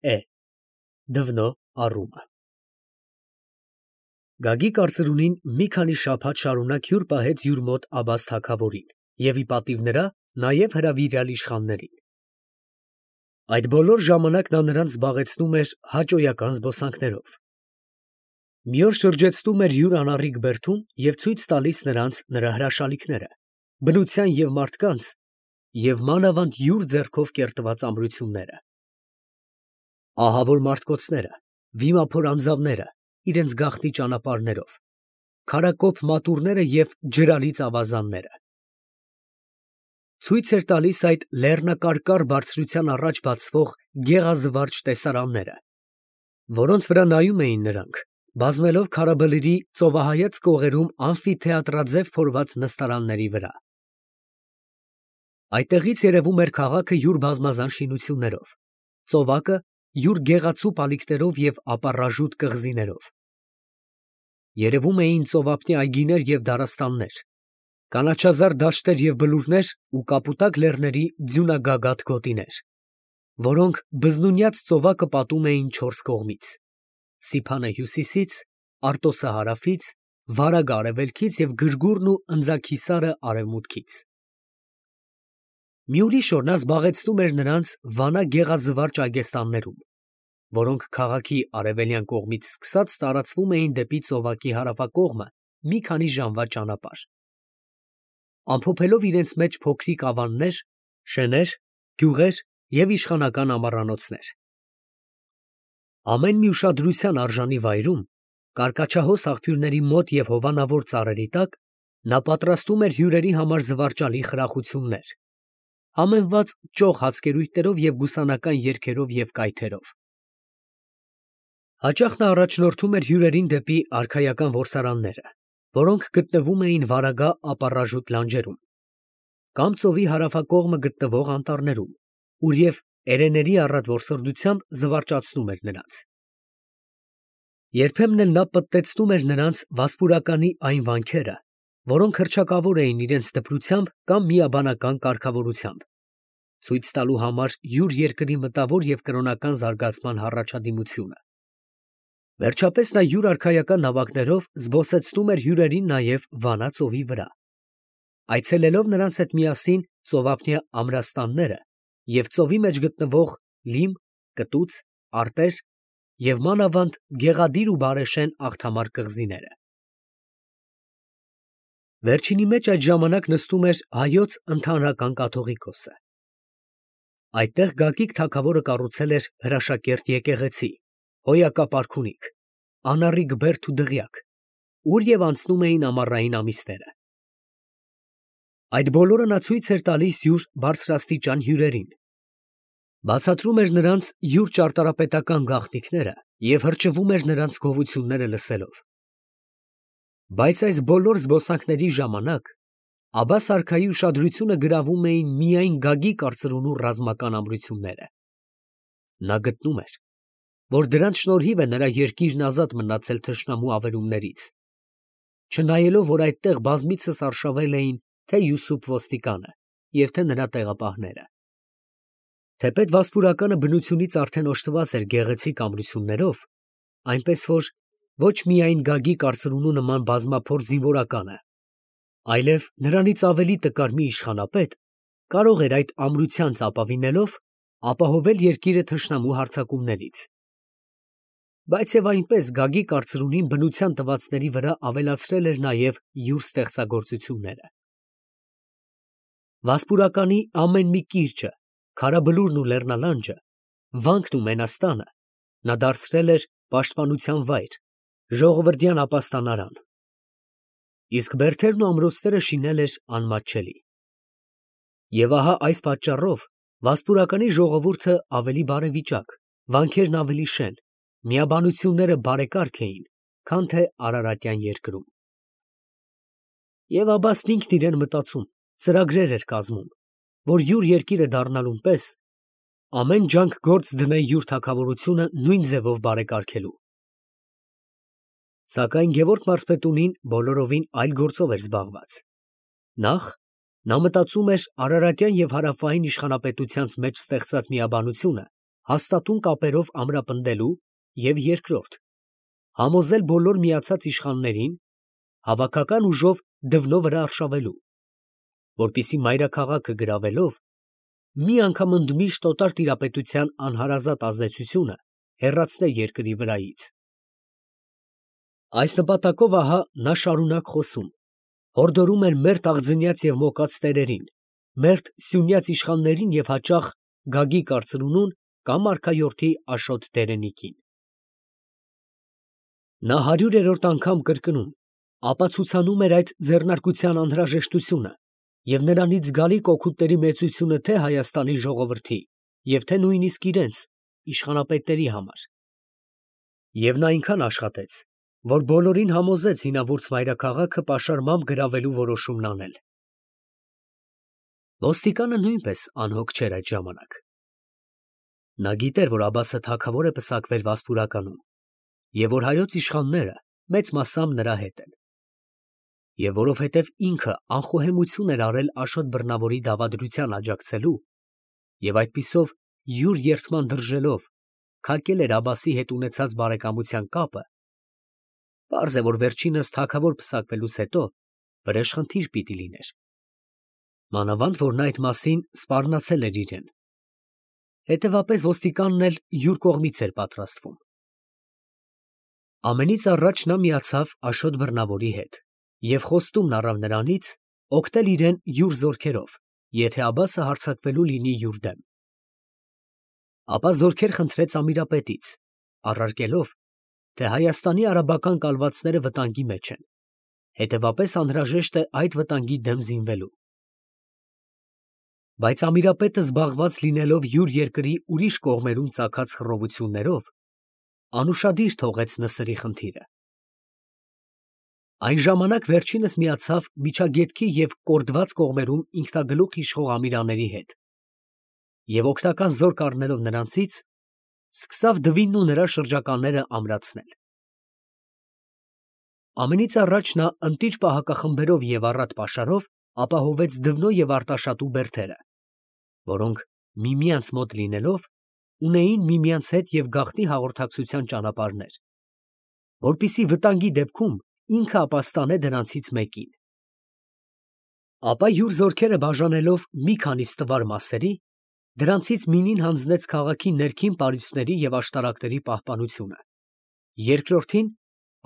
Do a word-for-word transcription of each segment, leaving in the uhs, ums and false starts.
Է. դվնո առումը։ Գագիկ արծրունին մի քանի շաբաթ շարունակ հյուր պահեց յուր մոտ Աբբաս թագավորին և ի պատիվ նրա նաև հրավիրյալ իշխաններին։ Այդ բոլոր ժամանակ նա նրանց զբաղեցնում էր հաճոյական զբոսանքներով։ Մի օր շրջեցնում էր յուր անառիկ բերդում և ցույց տալիս նրանց նրա հրաշալիքները, բնության և մարդկանց և մանավանդ յուր ձեռքով կերտված ամրությունները։ Ահավոր մարդկոցները, վիմափոր անձավները իրենց գաղտնի ճանապարհներով, քարակոփ մատուռները և ջրալից ավազանները։ Ցույց էր տալիս այդ լեռնակարկառ բարձրության առաջ բացվող գեղազվարճ տեսարանները, որոնց վրա նայում էին նրանք, բազմելով քարաբլրի ծովահայաց կողերում ամֆիթեատրաձև փորված նստարանների վրա։ Այդտեղից երևում էր քաղաքը յուր բազմազան շինություններով, ծովակը յուր գեղացու պալիկներով և ապառաժուտ կղզիներով։ Երևում էին ծովափնյա այգիներ և դարաստաններ, կանաչազարդ դաշտեր և բլուրներ ու կապուտակ լեռների ձյունագագաթ գոտիներ, որոնք բզնունյաց ծովակը պատում էին չորս կողմից. Սիփանը հյուսիսից, Արտոսը հարավից, Վարագը արևելքից և Գրգուրն ու Ընձաքիսարը արևմուտքից։ Մի ուրիշ օր նա զբաղեցնում էր նրանց Վանա գեղազվարճ այգեստաններում, որոնք քաղաքի արևելյան կողմից սկսած տարածվում էին դեպի ծովակի հարավակողմը մի քանի ժամվա ճանապարհ, ամփոփելով իրենց մեջ փոքրիկ ավաններ, շեներ, գյուղեր և իշխանական ամառանոցներ։ Ամեն մի ուշադրության արժանի վայրում, կարկաչահոս աղբյուրների մոտ և հովանավոր ծառերի տակ, նա պատրաստում էր հյուրերի համար զվարճալի խրախություններ, համեմված ճոխ հացկերույթներով և գուսանական երգերով և կայթերով։ Հաճախ նա առաջնորդում էր հյուրերին դեպի արքայական որսարանները, որոնք գտնվում էին Վարագա ապառաժուտ լանջերում, կամ ծովի հարավակողմը գտնվող անտառներում, ուր և էրեների առատ որսորդությամբ զվարճացնում էր նրանց։ Երբեմն էլ նա պտտեցնում էր նրանց վասպուրականի այն վանքերը, որոնք հռչակավոր էին իրենց դպրությամբ կամ միաբանական կարգավորությամբ, ցույց տալու համար յուր երկրի մտավոր և կրոնական զարգացման հառաջադիմությունը։ Վերջապես նա յուր արքայական նավակներով զբոսեցնում էր հյուրերին նաև Վանա ծովի վրա, այցելելով նրանց հետ միասին ծովափնյա ամրաստանները և ծովի մեջ գտնվող լիմ, կտուց, արտեր և մանավանդ գեղադիր ու բարեշեն աղթամար կղզիները։ Վերջինի մեջ այդ ժամանակ նստում էր հայոց ընդհանրական կաթողիկոսը։ Այդտեղ Գագիկ թագավորը կառուցել էր հրաշակերտ եկեղեցի, հոյակապ արքունիք, անառիկ բերդ ու դղյակ, ուր և անցնում էին ամառային ամիսները։ Այդ բոլորը նա ցույց էր տալիս յուր բարձրաստիճան հյուրերին, բացատրում էր նրանց յուր ճարտարապետական գաղտնիքները և հրճվում էր նրանց գովությունները լսելով։ Բայց այս բոլոր զբոսանքների ժամանակ Աբբաս արքայի ուշադրությունը գրավում էին միայն Գագիկ արծրունու ռազմական ամրությունները։ Նա գտնում էր, որ դրանց շնորհիվ է նրա երկիրն ազատ մնացել թշնամու ավերումներից, չնայելով որ այդտեղ բազմիցս արշավել էին թե Յուսուփ ոստիկանը և թե նրա տեղապահները։ Թեպետ վասպուրականը բնությունից արդեն օժտված էր գեղեցիկ ամրություններով, այնպես որ ոչ միայն Գագիկ արծրունու նման բազմափոր զինվորականը, այլև նրանից ավելի տկար մի իշխանապետ կարող էր այդ ամրությանց ապավինելով ապահովել երկիրը թշնամու հարձակումներից։ Բայց և այնպես Գագիկ արծրունին բնության տվածների վրա ավելացրել էր նաև յուր ստեղծագործությունները։ Վասպուրականի ամեն մի կիրճը, քարաբլուրն ու լեռնալանջը, վանքն ու մենաստանը նա դարձրել էր պաշտպանության վայր, ժողովրդյան ապաստանարան, իսկ բերդերն ու ամրոցները շինել էր անմատչելի։ Եվ ահա այս պատճառով վասպուրականի ժողովուրդը ավելի բարեվիճակ, վանքերն ավելի շեն, միաբանությունները բարեկարգ էին, քան թե արարատյան երկրում։ Եվ Աբբասն ինքն իրան մտածում, ծրագրեր էր կազմում, որ յուր երկիրը դառնալուն պես ամեն ջանք գործ դնե յուր թագավորությունը նույն ձևով բարեկարգելու։ Սակայն Գևորգ մարզպետունին բոլորովին այլ գործով էր զբաղված. նախ, նա մտածում էր Արարատյան և հարավային իշխանապետությանց մեջ ստեղծած միաբանությունը հաստատուն կապերով ամրապնդելու և երկրորդ, համոզել բոլոր միացած իշխաններին հավաքական ուժով դվնո վրա արշավելու, որպեսզի մայրաքաղաքը գրավելով մի անգամ ընդմիշտ օտար տիրապետության անհարազատ ազդեցությունը հեռացնել երկրի վրայից։ Այս նպատակով ահա նա շարունակ խոսում, հորդորում էր մերթ աղձնյաց և մոկած տերերին, մերթ սյունյաց իշխաններին և հաճախ Գագիկ արծրունուն կամ արքայորդի Աշոտ Տերենիքին։ Նա հարյուրերորդ անգամ կրկնում, ապացուցանում էր այդ ձեռնարկության անհրաժեշտությունը և նրանից գալիք օգուտների մեծությունը թե՛ Հայաստանի ժողովրդի և թե՛ նույնիսկ իրենց իշխանապետերի համար։ Եվ նա այնքան աշխատեց, որ բոլորին համոզեց հինավուրց մայրաքաղաքը պաշարմամբ գրավելու որոշումն անել։ Ոստիկանը նույնպես անհոգ չէր այդ ժամանակ։ Նա գիտեր, որ Աբբասը թագավոր է պսակվել Վասպուրականում և որ հայոց իշխանները մեծ մասամբ նրա հետ են, և որովհետև ինքը անխոհեմություն էր արել Աշոտ Բռնավորի դավադրության աջակցելու և այդպիսով յուր երդման դրժելով փակել էր Աբբասի հետ ունեցած բարեկամության կապը, պարզ է, որ վերջինս թագավոր պսակվելուց հետո վրեժխնդիր պիտի լիներ, մանավանդ որ նա այդ մասին սպառնացել էր իրեն, հետևապես ոստիկանն էլ յուր կողմից էր պատրաստվում։ Ամենից առաջ նա միացավ Աշոտ Բռնավորի հետ և խոստումն առավ նրանից օգնել իրեն յուր զորքերով, եթե Աբբասը հարձակվելու լինի յուր դեմ։ Ապա զորքեր խնդրեց Ամիրապետից, առարկելով, թե Հայաստանի արաբական կալվածները վտանգի մեջ են, հետևապես անհրաժեշտ է այդ վտանգի դեմ զինվելու։ Բայց Ամիրապետը զբաղված լինելով յուր երկրի ուրիշ կողմերում ծագած խռովություններով, անուշադիր թողեց Նսրի խնդիրը։ Այն ժամանակ վերջինս միացավ Միջագետքի և Կորդված կողմերում ինքնագլուխ իշխող ամիրանների հետ և օգնական զորք առնելով նրանցից, սկսավ Դվինն ու նրա շրջականները ամրացնել։ Ամենից առաջ նա ընտիր պահակախմբերով և առատ պաշարով ապահովեց Դվնո և Արտաշատու բերդերը, որոնք միմյանց մոտ լինելով, ունեին միմյանց հետ և գաղտնի հաղորդակցության ճանապարհներ, որպեսզի վտանգի դեպքում ինքը ապաստանե դրանցից մեկին։ Ապա յուր զորքերը բաժանելով մի քանի ստվար մասերի, դրանցից մինին հանձնեց քաղաքի ներքին պարիսպների և աշտարակների պահպանությունը, երկրորդին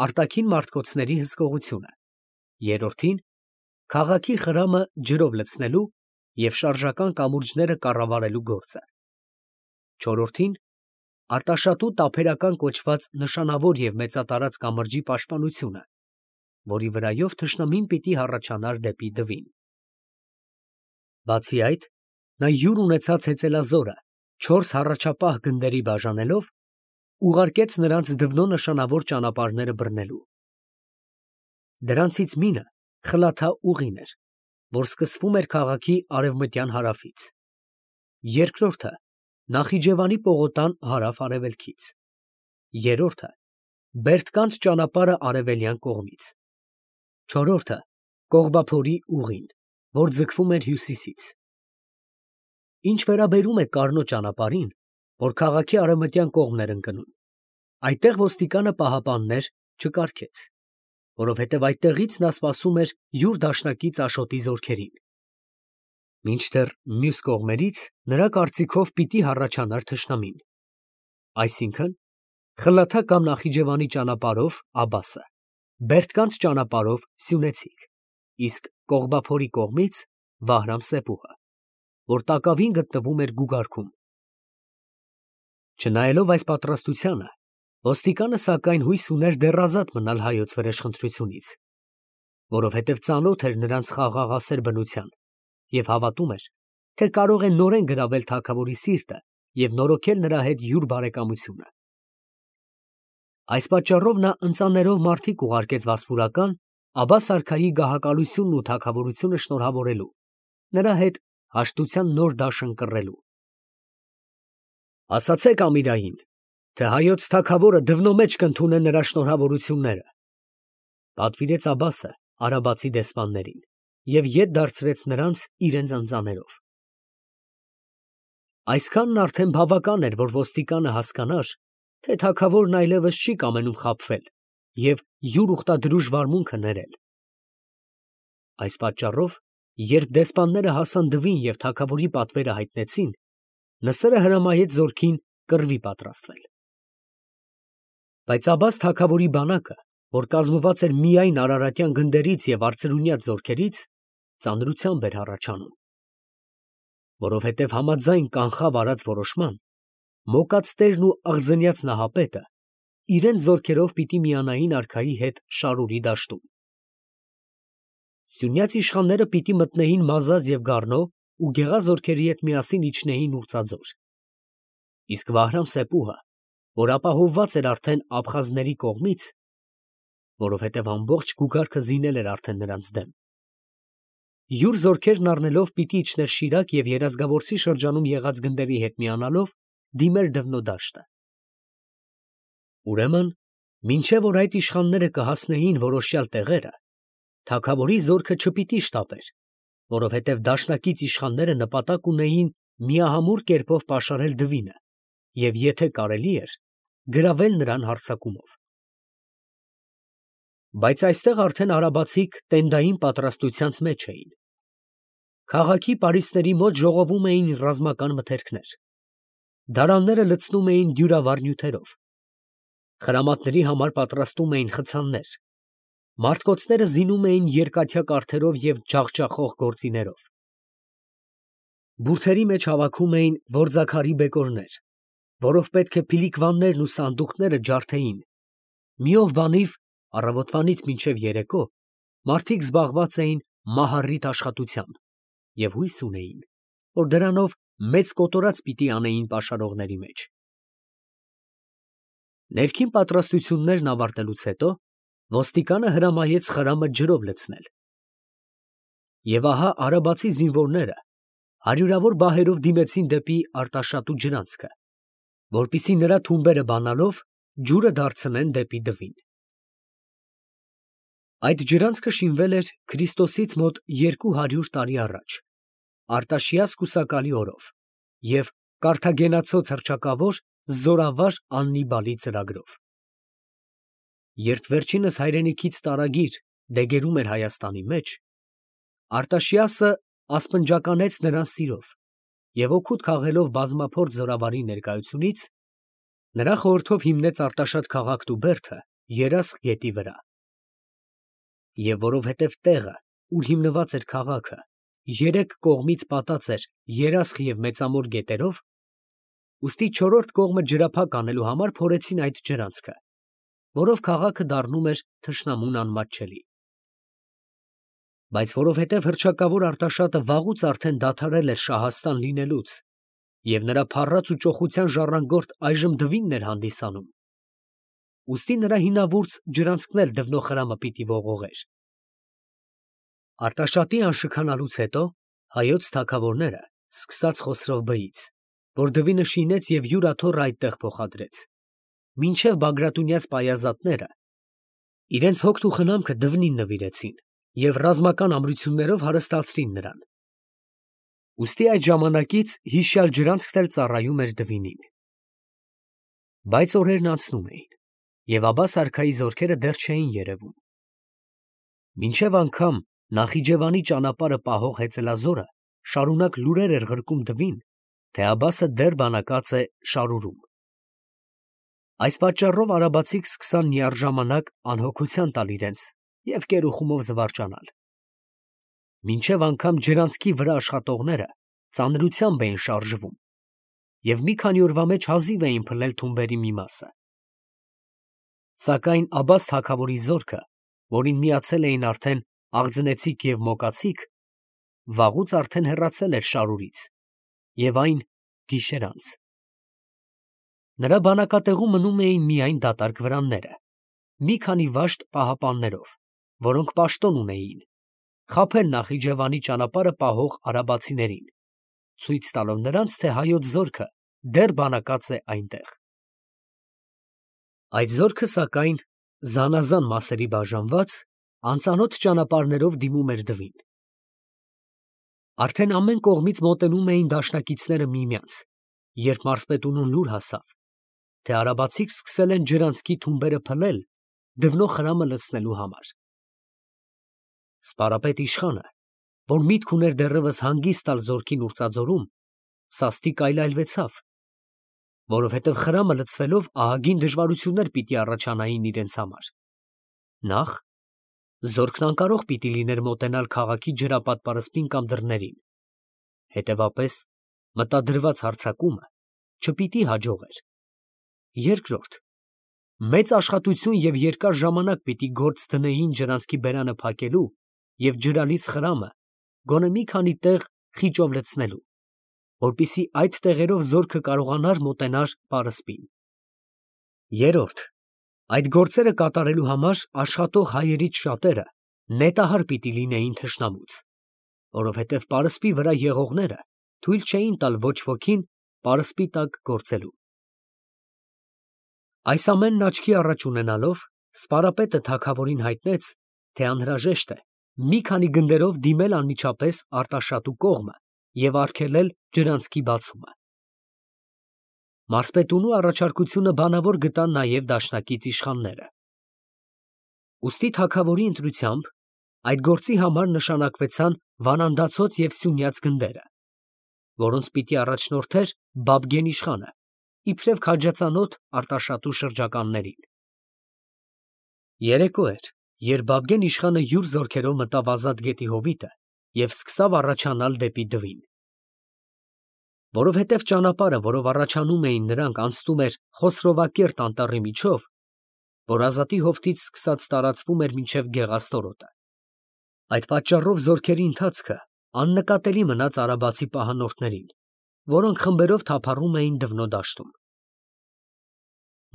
արտաքին մարտկոցների հսկողությունը, երրորդին քաղաքի խրամը ջրով լցնելու և շարժական կամուրջները կառավարելու գործը, չորրորդին Արտաշատու տափերական կոչված նշանավոր և մեծատարած կամրջի պաշտպանությունը, որի վրայով թշնամին պիտի հառաչանար դեպի Դվին։ Բացի այդ, նա յուր ունեցած հեծելազորը չորս հառաջապահ գնդերի բաժանելով, ուղարկեց նրանց Դվնո նշանավոր ճանապարհները բռնելու։ Դրանցից մինը Խլաթա ուղին էր, որ սկսվում էր քաղաքի արևմտյան հարավից, երկրորդը Նախիջևանի պողոտան հարավ֊արևելքից, երրորդը Բերդկանց ճանապարհը արևելյան կողմից, չորրորդը Կողբափորի ուղին, որ ձգվում էր հյուսիսից։ Ինչ վերաբերում է Կառնո ճանապարհին, որ քաղաքի արևմտյան կողմն էր ընկնում, այդտեղ ոստիկանը պահապաններ չկարգեց, որովհետև այդտեղից նա սպասում էր յուր դաշնակից Աշոտի զորքերին, մինչդեռ մյուս կողմերից նրա կարծիքով պիտի հառաչանար թշնամին, այսինքն՝ Խլաթա կամ Նախիջևանի ճանապարհով Աբբասը, Բերդկանց ճանապարհով սյունեցիք, իսկ Կողբափորի կողմից Վահրամ֊Սեփուհը, որ տակավին գտնվում էր Գուգարքում։ Չնայելով այս պատրաստությանը, ոստիկանը սակայն հույս ուներ դեռ ազատ մնալ հայոց վրեժխնդրությունից, որովհետև ծանոթ էր նրանց խաղաղասեր բնության և հավատում էր, թե կարող է նորեն գրավել թագավորի սիրտը և նորոգել նրա հետ յուր բարեկամությունը։ Այս պատճառով նա ընծաներով մարդիկ ուղարկեց Վասպուրական Աբբաս֊արքայի գահակալությունն ու թագավորությունը շնորհավորելու, նրա հետ հաշտության նոր դաշն կռելու։ Ասացեք Ամիրային, թե հայոց թագավորը Դվնո մեջ կընդունե նրա շնորհավորությունները, ֊ պատվիրեց Աբբասը արաբացի դեսպաններին և ետ դարձրեց նրանց իրենց ընծաներով։ Այսքանն արդեն բավական էր, որ ոստիկանը հասկանար, թե թագավորն այլևս չի կամենում խաբվել և յուր ուխտադրուժ վարմունքը ներել։ Այս պատճառով, երբ դեսպանները հասան Դվին և թագավորի պատվերը հայտնեցին, Նսրը հրամայեց զորքին կռվի պատրաստվել։ Բայց Աբբաս թագավորի բանակը, որ կազմված էր միայն արարատյան գնդերից և արծրունյաց զորքերից, ծանրությամբ էր հառաչանում, որովհետև համաձայն կանխավ արած որոշման, Մոկած տերն ու աղձնյաց նահապետը իրենց զորքերով պիտի միանային արքայի հետ Շարուրի դաշտում։ Սյունյաց իշխանները պիտի մտնեին Մազազ և Գառնո ու գեղազորքերի հետ միասին իջնեին Ուրྩաձոր, իսկ Վահրամ֊Սեպուհը, որ ապահովված էր արդեն աբխազների կողմից, որովհետև ամբողջ գուգարքը զինել էր արդեն նրանց դեմ, յուր զորքերն առնելով պիտի իջներ Շիրակ և Երազգավորսի շրջանում եղած գնդերի հետ միանալով դիմեր Դվնո դաշտը։ Ուրեմն, մինչև որ այդ իշխանները կհասնեին որոշյալ տեղերը, թագավորի զորքը չպիտի շտապեր, որովհետև դաշնակից իշխանները նպատակ ունեին միահամուռ կերպով պաշարել Դվինը և եթե կարելի էր, գրավել նրան հարձակումով։ Բայց այստեղ արդեն արաբացիք տենդային պատրաստությանց մեջ էին։ Քաղաքի պարիսպների մոտ ժողովում էին ռազմական մթերքներ, դարանները լցնում էին դյուրավառ նյութերով, խրամատների համար պատրաստում էին խցաններ, մարդկոցները զինում էին երկաթյա կառթերով և ջախջախող գործիներով։ Բուրդերի մեջ հավաքում էին որձաքարի բեկորներ, որով պետք է փիլիկվաններն ու սանդուղքները ջարդեին, մի ով բանիվ առավոտվանից մինչև երեկո մարդիկ զբաղված էին մահառիթ աշխատությամբ և հույս ունեին, որ դրանով մեծ կոտորած պիտի անեին պաշարողների մեջ։ Ներքին պատրաստություններն ավարտելուց հետո ոստիկանը հրամայեց խրամը ջրով լցնել։ Եվ ահա արաբացի զինվորները հարյուրավոր բահերով դիմեցին դեպի Արտաշատու ջրանցքը, որպեսզի նրա թումբերը բանալով ջուրը դարձնեն դեպի Դվին։ Այդ ջրանցքը շինվել էր Քրիստոսից մոտ երկու հարյուր տարի առաջ, Արտաշիաս կուսակալի օրով և կարթագենացոց հռչակավոր զորավար Աննիբալի ծրագրով։ Երբ վերջինս հայրենիքից տարագիր դեգերում էր Հայաստանի մեջ, Արտաշիասը ասպնջականեց նրան սիրով և օգուտ քաղելով բազմափորձ զորավարի ներկայությունից, նրա խորհրդով հիմնեց Արտաշատ քաղաքն ու բերդը Երասխ գետի վրա։ Եվ որովհետև տեղը, ուր հիմնված էր քաղաքը, երեք կողմից պատած էր Երասխ և Մեծամոր գետերով, ուստի չորրորդ կողմը ջրափակ անելու համար փորեցին այդ ջրանցքը, որով քաղաքը դառնում էր թշնամուն անմատչելի։ Բայց որովհետև հռչակավոր Արտաշատը վաղուց արդեն դադարել էր Շահաստան լինելուց և նրա փառած ու ճոխության ժառանգորդ այժմ Դվինն էր հանդիսանում, ուստի նրա հինավուրց ջրանցքն էլ Դվնո խրամը պիտի ողողեր։ Արտաշատի անշքանալուց հետո հայոց թագավորները, սկսած Խոսրով բեից, որ Դվինը շինեց և յուր աթոռը այդտեղ փոխադրեց, մինչև Բագրատունյաց պայազատները, իրենց հոգն ու խնամքը Դվնին նվիրեցին և ռազմական ամրություններով հարստացրին նրան։ Ուստի այդ ժամանակից հիշյալ ջրանցքն էլ ծառայում էր Դվինին։ Բայց օրերն անցնում էին, և Աբբաս արքայի զորքերը դեռ չէին երևում։ Մինչև անգամ Նախիջևանի ճանապարհը պահող հեծելազորը շարունակ լուրեր էր ղրկում Դվին, թե Աբբասը դեռ բանակած է Շարուրում։ Այս պատճառով արաբացիք սկսան միառժամանակ անհոգության տալ իրենց և կերուխումով զվարճանալ։ Մինչև անգամ ջրանցքի վրա աշխատողները ծանրությամբ էին շարժվում և մի քանի օրվա մեջ հազիվ էին փլել թումբերի մի մասը։ Սակայն Աբբաս թագավորի զորքը, որին միացել էին արդեն աղձնեցիք և մոկացիք, վաղուց արդեն հեռացել էր Շարուրից, և այն գիշեր անց։ Նրա բանակատեղում մնում էին միայն դատարկ վրանները, մի քանի վաշտ պահապաններով, որոնք պաշտոն ունեին, խաբել Նախիջևանի ճանապարհը պահող արաբացիներին, ցույց տալով նրանց, թե հայոց զորքը դեռ բանակած է այնտեղ։ Այդ զորքը, սակայն, զանազան մասերի բաժանված, անծանոթ ճանապարհներով դիմում էր Դվին։ Արդեն ամեն կողմից մոտենում էին դաշնակիցները միմյանց, երբ մարզպետունուն լուր հասավ, թե արաբացիք սկսել են ջրանցքի թումբերը փլել դվնո խրամը լցնելու համար։ Սպարապետ իշխանը, որ միտք ուներ դեռևս հանգիստ տալ զորքին ուրྩաձորում, սաստիկ այլայլվեցավ, որովհետև խրամը լցվելով ահագին դժվարություններ պիտի առաջանային իրենց համար։ Նախ, զորքն անկարող պիտի լիներ մոտենալ քաղաքի ջրապատ պարսպին կամ դռներին, հետևապես մտադրված հարձակումը չպիտի հաջողեր։ Երկրորդ, մեծ աշխատություն և երկար ժամանակ պիտի գործ դնեին ջրանցքի բերանը փակելու և ջրալից խրամը գոնե մի քանի տեղ խիճով լցնելու, որպեսզի այդ տեղերով զորքը կարողանար մոտենալ պարսպին։ Երրորդ, այդ գործերը կատարելու համար աշխատող հայերից շատերը նետահար պիտի լինեին թշնամուց, որովհետև պարսպի վրա եղողները թույլ չէին տալ ոչ ոքին պարսպի տակ գործելու։ Այս ամենն աչքի առաջ ունենալով, սպարապետը թագավորին հայտնեց, թե անհրաժեշտ է մի քանի գնդերով դիմել անմիջապես Արտաշատու կողմը և արգելել ջրանցքի բացումը։ Մարզպետունու առաջարկությունը բանավոր գտան նաև դաշնակից իշխանները։ Ուստի թագավորի ընտրությամբ այդ գործի համար նշանակվեցան Վանանդացոց և Սյունյաց գնդերը, որոնց պիտի առաջնորդեր Բաբգեն իշխանը, իբրև քաջածանոթ Արտաշատու շրջականներին։ Երեկո էր, երբ Բաբգեն իշխանը յուր զորքերով մտավ Ազատ գետի հովիտը և սկսավ առաջանալ դեպի Դվին։ Որովհետև ճանապարհը, որով առաջանում էին նրանք, անցնում էր Խոսրովակերտ անտառի միջով, որ Ազատի հովտից սկսած տարածվում էր մինչև Գեղաստորոտը։ Այդ պատճառով զորքերի ընթացքը աննկատելի մնաց արաբացի պահանորդներին, որոնք խմբերով թափառում էին Դվնո դաշտում։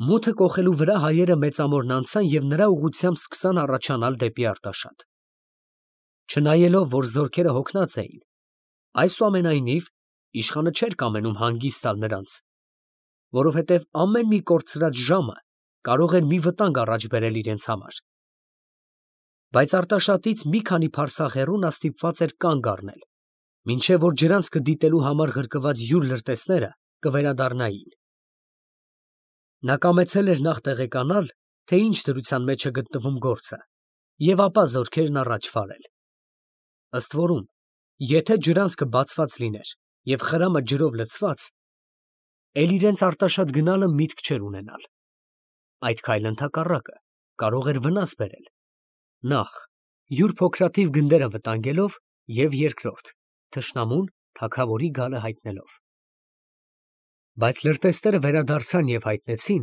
Մութը կոխելու վրա հայերը մեծամորն անցան և նրա ուղղությամբ սկսան առաջանալ դեպի Արտաշատ։ Չնայելով, որ զորքերը հոգնած էին, այսուամենայնիվ իշխանը չէր կամենում հանգիստ տալ նրանց, որովհետև ամեն մի կորցրած ժամը կարող էր մի վտանգ առաջ բերել իրենց համար։ Բայց Արտաշատից մի քանի փարսաղ հեռու նա ստիպված էր կանգ առնել, մինչև որ ջրանցքը դիտելու համար ղրկված յուր լրտեսները կվերադառնային։ Նա կամեցել էր նախ տեղեկանալ, թե ինչ դրության մեջ է գտնվում գործը, և ապա զորքերն առաջ վարել։ Ըստ որում, եթե ջրանցքը բացված լիներ և խրամը ջրով լցված, էլ իրենց Արտաշատ գնալը միտք չէր ունենալ։ Այդ քայլը ընդհակառակը կարող էր վնաս բերել, նախ, յուր փոքրաթիվ գնդերը վտանգելով և երկրորդ, թշնամուն թագավորի գալը հայտնելով։ Բայց լրտեսները վերադարձան և հայտնեցին,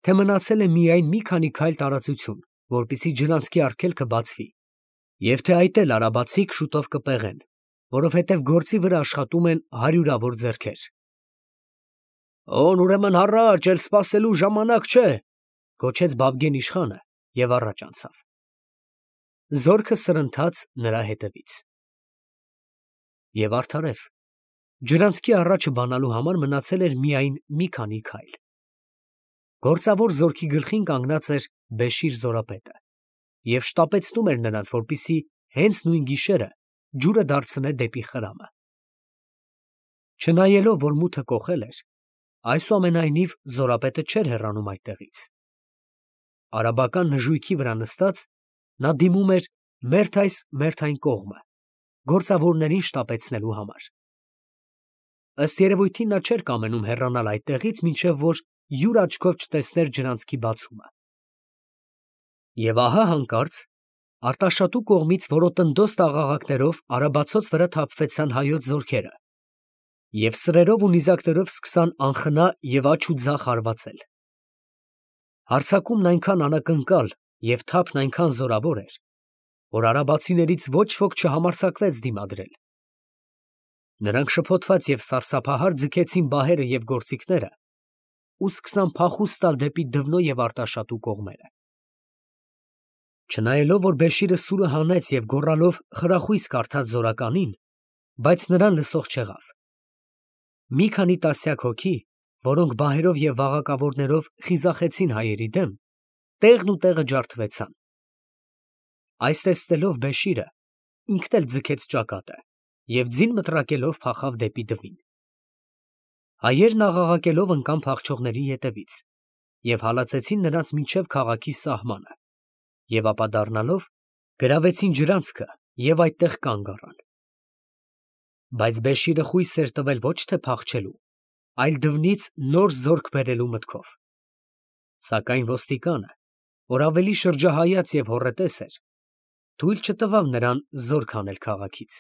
թե մնացել է միայն մի քանի քայլ տարածություն, որպեսզի ջրանցքի արգելքը բացվի, և թե այդ էլ արաբացիք շուտով կպեղեն, որովհետև գործի վրա աշխատում են հարյուրավոր ձեռքեր։ «Օն ուրեմն հառաչ, էլ սպասելու ժամանակ չէ», գոչեց Բաբգեն իշխանը և առաջ անցավ։ Զորքը սրընթաց նրա հետևից։ Եվ արդարև, ջրանցքի առաջը բանալու համար մնացել էր միայն մի քանի քայլ։ Գործավոր զորքի գլխին կանգնած էր Բեշիր զորապետը և շտապեցնում էր նրանց, որպեսզի հենց նույն գիշերը ջուրը դարձնե դեպի խրամը։ Չնայելով, որ մութը կոխել էր, այսուամենայնիվ զորապետը չէր հեռանում այդտեղից։ Արաբական նժույգի վրա նստած, նա դիմում էր մերթ այս մերթ այն կողմը, գործավորներին շտապեցնելու համար։ Ըստ երևույթին նա չէր կամենում հեռանալ այդտեղից, մինչև որ յուր աչքով չտեսներ ջրանցքի բացումը։ Եվ ահա հանկարծ Արտաշատու կողմից որոտնդոզ տաղաղակներով արաբացոց վրա թափվեցան հայոց զորքերը և սրերով ու նիզակներով սկսան անխնա և աջ ու ձախ հարվածել։ Հարձակումն այնքան անակնկալ և թափն այնքան զորավոր էր, որ արաբացիներից ոչ ոք չհամարձակվեց դիմադրել։ Նրանք շփոթված և սարսափահար ձգեցին բահերը և գործիքները ու սկսան փախուստ տալ դեպի Դվնո և Արտաշատու կողմերը։ Չնայելով, որ Բեշիրը սուրը հանեց և գոռալով խրախույս կարդաց զորականին, բայց նրան լսող չեղավ։ Մի քանի տասնյակ հոգի, որոնք բահերով և վաղակավորներով խիզախեցին հայերի դեմ, տեղն ու տեղը ջարդվեցան։ Այս տեսնելով Բեշիրը ինքն էլ ձգեց ճակատը և ձին մտրակելով փախավ դեպի Դվին։ Հայերն աղաղակելով ընկան փախչողների ետևից և հալածեցին նրանց մինչև քաղաքի սահմանը, և ապա դառնալով գրավեցին ջրանցքը և այդտեղ կանգ առան։ Բայց Բեշիրը խույս էր տվել ոչ թե փախչելու, այլ դվնից նոր զորք բերելու մտքով. սակայն ոստիկանը, որ ավելի շրջահայաց և հոռետես էր, թույլ չտվավ նրան զորք հանել քաղաքից։